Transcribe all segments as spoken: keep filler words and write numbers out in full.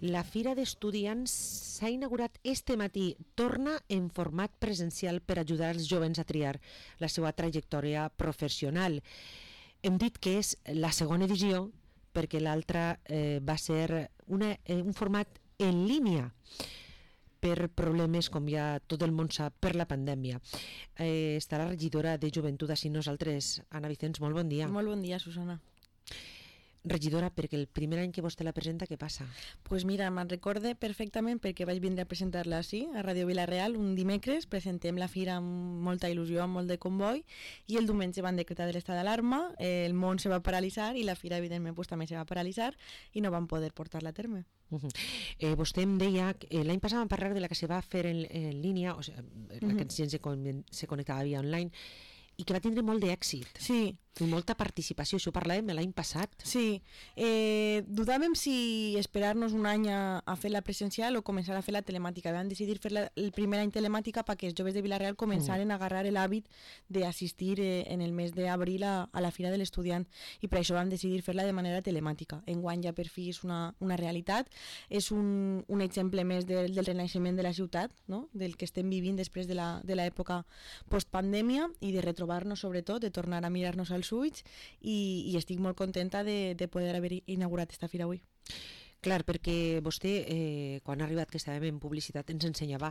la Fira d'Estudiants s'ha inaugurat este matí, torna en format presencial per ajudar els jovens a triar la seva trajectòria professional. Hem dit que és la segona edició perquè l'altra eh, va ser una, eh, un format en línia per problemes, com ja tot el món sap, per la pandèmia. Eh, està la regidora de Joventut així nosaltres. Anna Vicens, molt bon dia. Molt bon dia, Susana. Regidora, perquè el primer any que vostè la presenta, què passa? Doncs pues mira, me'n recorde perfectament perquè vaig vindre a presentar-la així, a Ràdio Vila-real, un dimecres, presentem la fira amb molta il·lusió, amb molt de comboi, i el diumenge van decretar l'estat d'alarma, eh, el món se va paralitzar i la fira, evidentment, pues, també se va paralitzar i no van poder portar-la a terme. Uh -huh. eh, vostè em deia que eh, l'any passat vam parlar de la que se va fer en, en línia, o sigui, la uh -huh. que gent se, con, se connectava via online, i que va tindre molt d'èxit. Sí. I molta participació, això ho parlàvem l'any passat. Sí, eh, dudàvem si esperar-nos un any a, a fer la presencial o començar a fer la telemàtica. Vam decidir fer la, el primer any telemàtica perquè els joves de Vila-real començaren mm. a agarrar l'hàbit d'assistir eh, en el mes d'abril a, a la Fira de l'Estudiant, i per això vam decidir fer-la de manera telemàtica. Enguany ja per fi és una, una realitat, és un, un exemple més de, del renaixement de la ciutat, no? Del que estem vivint després de l'època post-pandèmia, i de retrobar-nos sobretot, de tornar a mirar-nos als ulls, i, i estic molt contenta de, de poder haver inaugurat esta fira avui. Clar, perquè vostè, eh, quan ha arribat que estàvem en publicitat, ens ensenyava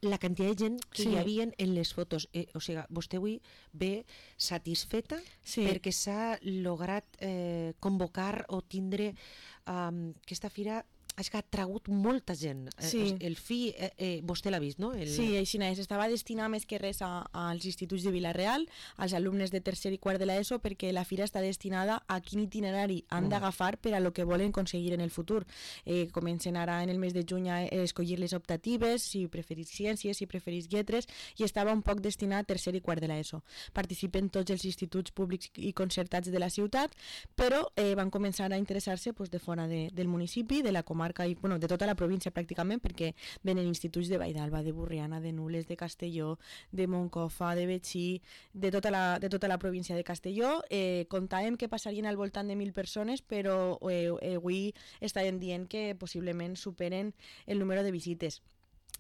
la quantitat de gent que sí. hi havia en les fotos. Eh, o sigui, vostè avui ve satisfeta sí. perquè s'ha lograt eh, convocar o tindre eh, aquesta fira. És que ha tragut molta gent. Sí. El fi, eh, eh, vostè l'ha vist, no? El... Sí, així és. Estava destinat més que res a, als instituts de Vila-real, als alumnes de tercer i quart de l'ESO, perquè la fira està destinada a quin itinerari han d'agafar per a lo que volen aconseguir en el futur. Eh, comencen ara en el mes de juny a escollir les optatives, si preferís ciències, si preferís lletres, i estava un poc destinat a tercer i quart de l'ESO. Participen tots els instituts públics i concertats de la ciutat, però eh, van començar a interessar-se pues, de fora de, del municipi, de la comarca, i bueno, de tota la província pràcticament, perquè venen instituts de Valldarba, de Burriana, de Nules, de Castelló, de Moncofa, de Betxí, de tota la, de tota la província de Castelló. Eh, comptàvem que passarien al voltant de mil persones, però eh, eh, avui estàvem dient que possiblement superen el número de visites.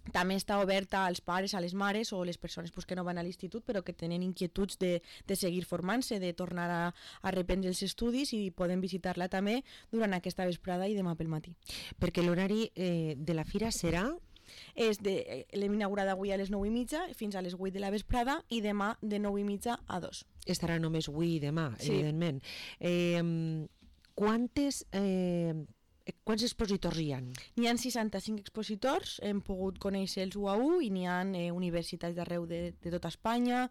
També està oberta als pares, a les mares o les persones pues, que no van a l'institut però que tenen inquietuds de, de seguir formant-se, de tornar a, a reprendre els estudis, i poden visitar-la també durant aquesta vesprada i demà pel matí. Perquè l'horari eh, de la fira serà? És de, l'hem inaugurat avui a les nou i mitja fins a les vuit de la vesprada, i demà de nou i mitja a dos. Estarà només avui i demà, sí. evidentment. Eh, quantes... Eh, Quants expositors hi ha? N'hi ha seixanta-cinc expositors, hem pogut conèixer-los u a u, i n'hi ha eh, universitats d'arreu de, de tota Espanya,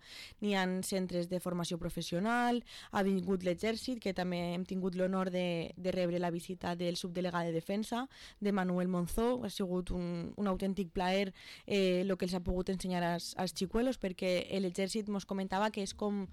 n'hi ha centres de formació professional, ha vingut l'Exèrcit, que també hem tingut l'honor de, de rebre la visita del subdelegat de Defensa, de Manuel Monzó. Ha sigut un, un autèntic plaer el eh, que els ha pogut ensenyar als, als xicuelos, perquè l'Exèrcit ens comentava que és com...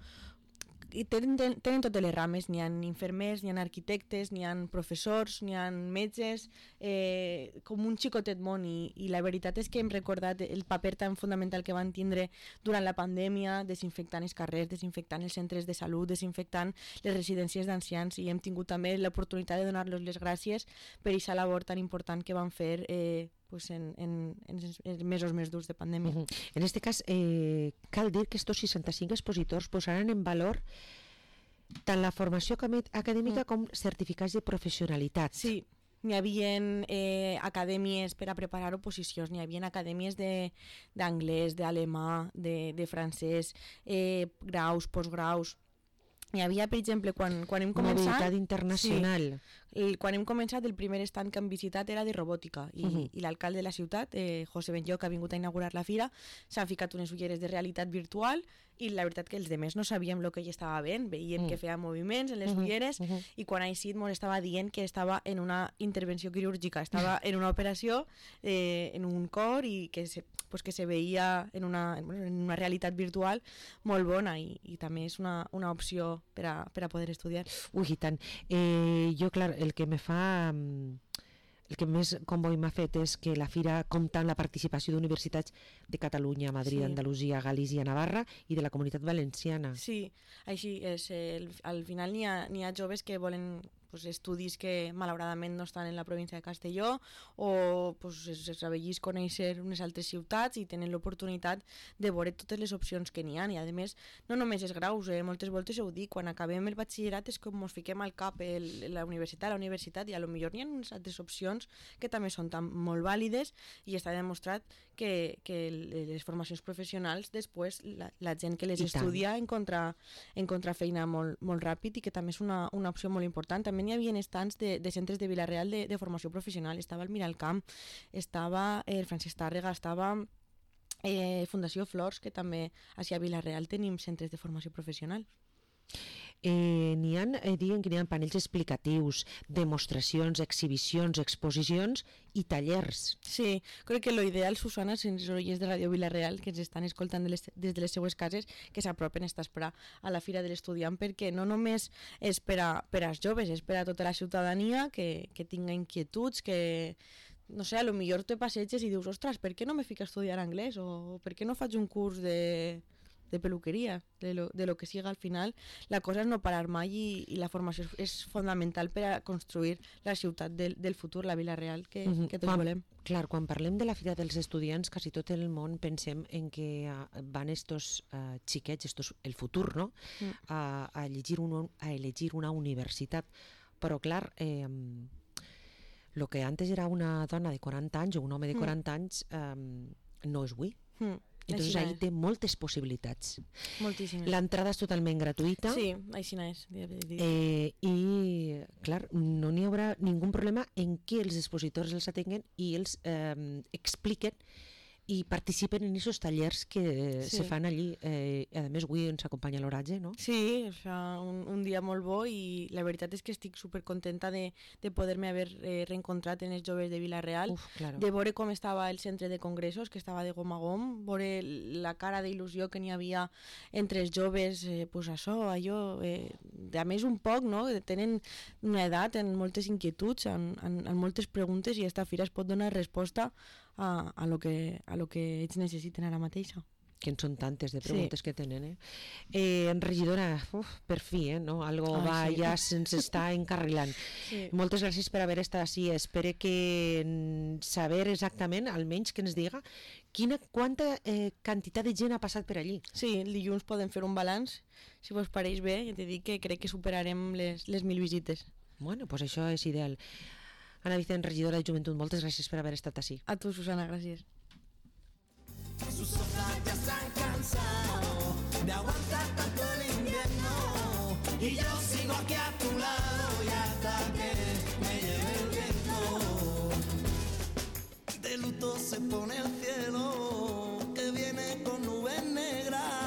I tenen, tenen totes les rames, n'hi ha infermers, n'hi ha arquitectes, n'hi ha professors, n'hi ha metges, eh, com un xicotet món, i, i la veritat és que hem recordat el paper tan fundamental que van tindre durant la pandèmia, desinfectant els carrers, desinfectant els centres de salut, desinfectant les residències d'ancians, i hem tingut també l'oportunitat de donar-los les gràcies per aquesta labor tan important que van fer eh, pues en, en, en els mesos més durs de pandèmia. Uh -huh. En aquest cas, eh, cal dir que estos seixanta-cinc expositors posaran en valor tant la formació acadèmica uh -huh. com certificats de professionalitat. Sí, n'hi havia eh, acadèmies per a preparar oposicions, n'hi havia acadèmies d'anglès, d'alemà, de, de francès, eh, graus, postgraus. Hi havia, per exemple, quan, quan hem començat... Mobilitat internacional. Sí, el, quan hem començat, el primer stand que hem visitat era de robòtica, i, uh -huh. i l'alcalde de la ciutat, eh, José Benllo, que ha vingut a inaugurar la fira, s'ha ficat unes ulleres de realitat virtual, i la veritat que els demés no sabíem el que ell estava veient, veiem uh -huh. que feia moviments en les uh -huh. ulleres, uh -huh. i quan ha eixit ens estava dient que estava en una intervenció quirúrgica, estava en una operació, eh, en un cor, i que se, pues que se veia en una, en una realitat virtual molt bona, i, i també és una, una opció per a, per a poder estudiar. Ui, i tant. Eh, jo, clar, el que me fa... El que més comboi m'ha fet és que la fira compta amb la participació d'universitats de Catalunya, Madrid, sí. Andalusia, Galícia, Navarra i de la Comunitat Valenciana. Sí, així és. El, al final n'hi ha, n'hi ha joves que volen pues, estudis que malauradament no estan en la província de Castelló o pues, es, es avellís conèixer unes altres ciutats i tenen l'oportunitat de veure totes les opcions que n'hi ha. I a més, no només els graus, eh? moltes voltes ho dic, quan acabem el batxillerat és com ens fiquem al cap el, la universitat, la universitat i a lo millor n'hi ha unes altres opcions que també són tan molt vàlides i està demostrat que, que les formacions professionals després la, la gent que les I estudia encontra, encontra feina molt, molt ràpid i que també és una, una opció molt important. També n'hi havia estants de, de centres de Vila-real de, de formació professional. Estava el Miralcamp, estava el Francesc Tàrrega, estava eh, Fundació Flors, que també així a Vila-real tenim centres de formació professional. Eh, n'hi ha, eh, diuen que n'hi ha panells explicatius, demostracions, exhibicions, exposicions i tallers. Sí, crec que l'ideal, Susana, sense els oients de Ràdio Vila-real que ens estan escoltant de les, des de les seues cases, que s'apropen a esperar a la Fira de l'Estudiant, perquè no només és per, a, per als joves, és per a tota la ciutadania que, que tinga inquietuds, que no sé, a lo millor te passeges i dius, ostres, per què no me fico a estudiar anglès o per què no faig un curs de... de peluqueria, de lo, de lo que siga al final. La cosa és no parar mai i, i la formació és fonamental per a construir la ciutat del, del futur, la Vila-real, que, uh -huh. que tots quan, volem. Clar, quan parlem de la Fira dels Estudiants, quasi tot el món pensem en que uh, van estos uh, xiquets, estos, el futur, no? Mm. A, a, llegir un, a elegir una universitat. Però clar, eh, lo que antes era una dona de quaranta anys o un home de quaranta mm. anys eh, no és avui. Mm. Entonces ahí té moltes possibilitats. Moltíssimes. L'entrada és totalment gratuïta. Sí, així és. Eh, I, clar, no n'hi haurà ningú problema en què els expositors els atenguen i els eh, expliquen i participen en aquests tallers que sí. se fan allí. Eh, a més, avui ens acompanya l'oratge, no? Sí, es fa un, un dia molt bo i la veritat és que estic supercontenta de, de poder-me haver eh, reencontrat en els joves de Vila-real, Uf, claro. de veure com estava el centre de congressos, que estava de gom a gom, veure la cara d'il·lusió que n'hi havia entre els joves, eh, pues això, allò, eh, a més un poc, no? Tenen una edat, en moltes inquietuds, en, en, en moltes preguntes i esta fira es pot donar resposta a, a, lo que, a lo que ells necessiten ara mateixa. Que en són tantes de preguntes sí. que tenen, eh? eh regidora, uf, per fi, eh, no? Algo Ai, va, sí. ja se'ns està encarrilant. Sí. Moltes gràcies per haver estat així. Espero que saber exactament, almenys que ens diga, quina, quanta eh, quantitat de gent ha passat per allí. Sí, el dilluns podem fer un balanç, si vos pareix bé, ja t'he dit que crec que superarem les, les mil visites. Bueno, pues això és ideal. Ana Vicent, regidora de Joventut, moltes gràcies per haver estat així. A tu, Susana, gràcies. Sus ojos ya se han cansado de aguantar tanto el invierno y yo sigo aquí a tu lado y hasta que me lleve el viento. De luto se pone el cielo.